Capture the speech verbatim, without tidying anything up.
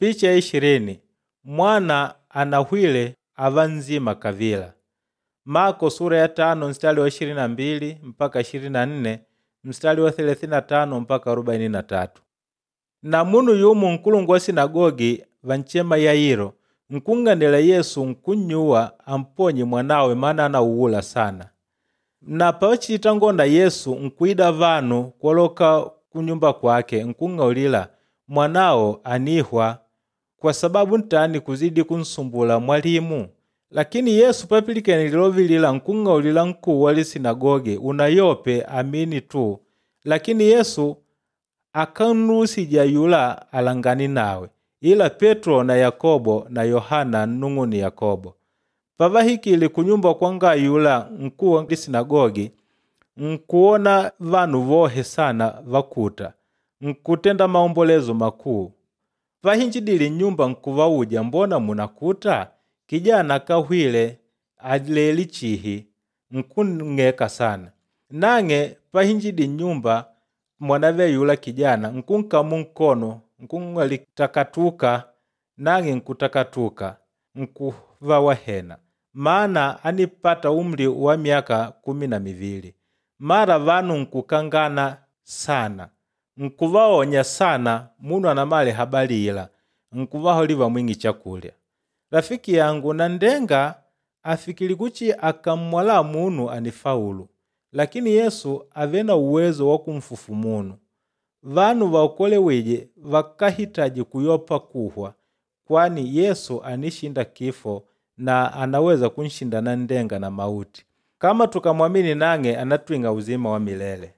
Picha ya ishirini mwana anahwile ava nzima kavila. Mako sura ya tano mstari wa ishirini na mbili mpaka ishirini na nne mstari wa thelathini na tano mpaka arobaini na tatu. Na munu yumo nkulungu wa sinagogi vanchema Yairo nkung'anila Yesu nkunnyuwa amponye mwanawe maana anauwula sana. Na pachiitangonda Yesu nkuida vanu kwoloka kunyumba kwake nkung'aulila mwanao anihwa kwa sababu ntani kuzidi kunsumbula mwalimu. Lakini Yesu papilikene lilovi lila nkung'aulila nkuu wa lisinagogi unayope amini tu. Lakini Yesu akanrusija yula alangani nawe ila Petro na Yakobo na Yohana nnung'une Yakobo. Pavahikile kunyumba kwanga yula nkuu wa lisinagogi nkuwona vanu vohe sana vakuta nkutenda maombolezo makuu. Pahinjidile nnyumba nkuvauja mbona munakuta? Kijana akahwile aleli chihi nkunng'eka sana. Nang'e pahinjidi nnyumba mwanave yula kijana nkunkamu nkono nkung'wali takatuka nang'e nkutakatuka nkuva wahena maana anipata umri wa miaka kumi na mivili. Mara vanu nkukangana sana nkuvaonya sana munu anamale habari ila nkuvaholi vamwing'i chakulya. Rafiki yangu nandenga afikili kuchi akammwala munu anifaulu lakini Yesu ave na uwezo wa kumfufu munu. Vanu vaokolewije vakahitaji kuyopa kuhwa kwani Yesu anishinda kifo na anaweza kunshinda nandenga na mauti. Kama tukamwamini nang'e anatwing'a uzima wa milele.